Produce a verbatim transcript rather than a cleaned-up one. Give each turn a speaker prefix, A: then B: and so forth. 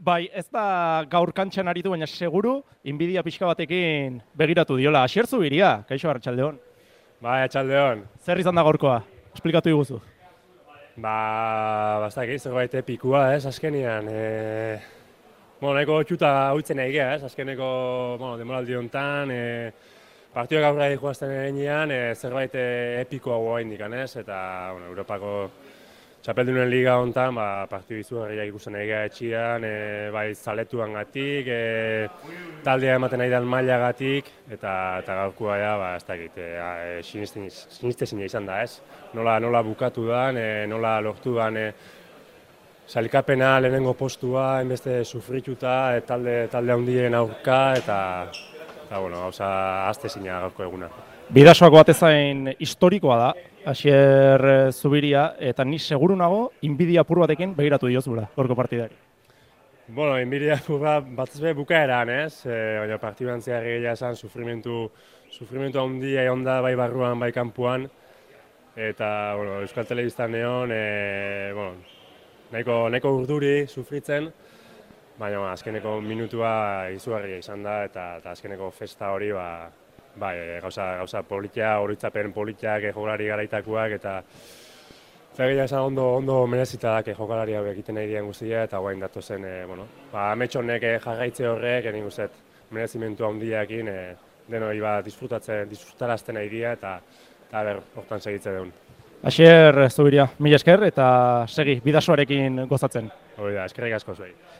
A: Bai, ez da gaur kantxan aritu, baina seguru, inbidia pixka batekin begiratu diola. Asier Zubiria, kaixo Arratsaldeon.
B: Bai, atxaldeon.
A: Zer izan da gaurkoa? Esplikatu iguzu.
B: Ba, bastak zerbait epikua, ez, azkenian. E, bueno, nahiko txuta hauitzen nahi ez, azkeneko, bueno, demoraldi honetan, e, partioak aurra joazten eginean, e, zerbait epikoa guain dikan, ez, eta, bueno, Europako Txapeldunen liga honetan, ba, partio izugarriak ikusten egia etxian, e, bai zaletuan gatik, e, taldea ematen nahi dan mailagatik, eta, eta gaurkoa ja, ba, ez dakit, e, sinistezina izan da, ez? Nola, nola bukatu dan, e, nola lortu dan, e, sailkapena lehenengo postua, enbeste sufrituta, e, talde, talde handien aurka, eta, eta bueno, gauza aztezina gaurko eguna.
A: Bidasoako batezain historikoa da, Asier Zubiria, eta ni seguru nago, inbidia apur batekin begiratu diozula, gorko partidari.
B: Bueno, inbidia apur bat batez be bukaeran, ez? E, baina partiduan zehar egia esan, sufrimentu, sufrimentu handia egon da bai barruan, bai kanpuan. Eta, bueno, Euskal Telebistan neon, e, bueno, nahiko, nahiko urduri sufritzen, baina azkeneko minutua izugarria izan da, eta, eta azkeneko festa hori, ba, bai, gauza, gauza politia, horitzapen politiak, jokalari garaitakoak, eta eta egia esan ondo, ondo merezita da jokalari hau egiten nahi dian guztia, eta guain datu zen, e, bueno, ba, amets honek jarraitze horrek, egin guzet, merezimentu handiakin, e, denoi ba, disfrutatzen, disfrutarazten nahi dia, eta, eta ber, hortan segitze deun.
A: Asier Zubiria, mila esker, eta segi, bidasoarekin gozatzen.
B: Hori da, eskerrik asko zuei.